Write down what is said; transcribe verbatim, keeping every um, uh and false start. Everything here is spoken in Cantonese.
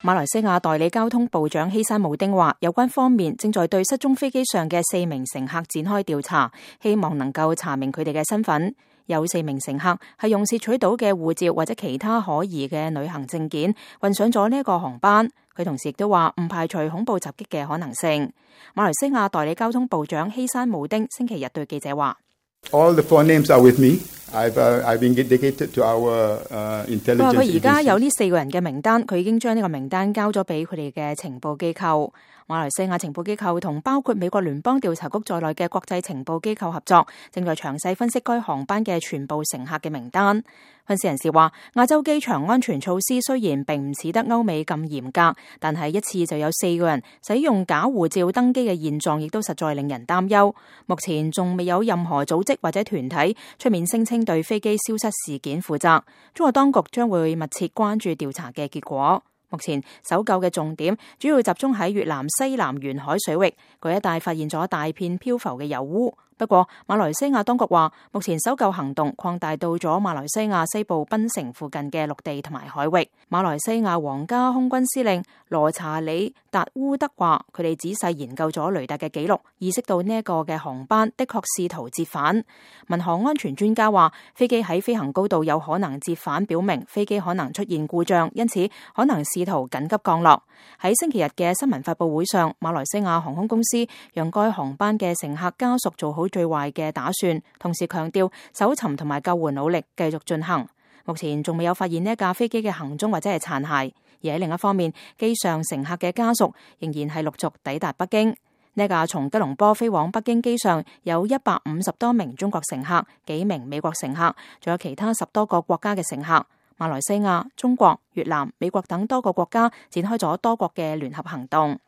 馬來西亞代理交通部長希山慕丁話，有關方面正在對失蹤飛機上嘅四名乘客展開調查，希望能夠查明佢哋嘅身份。有四名乘客係用竊取到嘅護照或者其他可疑嘅旅行證件運上咗呢一個航班。佢同時亦都話唔排除恐怖襲擊嘅可能性。馬來西亞代理交通部長希山慕丁星期日對記者話：All the four names are with me. I've, uh, I've indicated to our, uh, intelligence agency. 佢話佢而家有呢四個人嘅名單，佢已經將呢個名單交咗俾佢哋嘅情報機構。馬來西亞情報機構同包括美國聯邦調查局在內嘅國際情報機構合作，正在詳細分析該航班嘅全部乘客嘅名單。分析人士話，亞洲機場安全措施雖然並唔似得歐美咁嚴格，但係一次就有四個人使用假護照登機嘅現狀，亦都實在令人擔憂。目前仲未有任何組織或者團體出面聲稱對飛機消失事件負責。中國當局將會密切關注調查嘅結果。目前搜救嘅重點主要集中喺越南西南沿海水域，嗰一帶發現咗大片漂浮嘅油污。不過馬來西亞當局話，目前搜救行動擴大到咗馬來西亞西部檳城附近嘅陸地同埋海域。馬來西亞皇家空軍司令羅查理達烏德話，佢哋仔細研究咗雷達嘅記錄，意識到呢一個嘅航班的確試圖折返。民航安全專家話，飛機喺飛行高度有可能折返，表明飛機可能出現故障，因此可能試圖緊急降落。喺星期日嘅新聞發佈會上，馬來西亞航空公司讓該航班嘅乘客家屬做好最壞嘅打算，同時強調搜尋同埋救援努力繼續進行。目前仲未有發現呢一架飛機嘅行蹤或者係殘骸，而喺另一方面，機上乘客嘅家屬仍然係陸續抵達北京。呢一架從吉隆坡飛往北京機上有一百五十多名中國乘客、幾名美國乘客，仲有其他十多個國家嘅乘客。馬來西亞、中國、越南、美國等多個國家展開咗多國嘅聯合行動。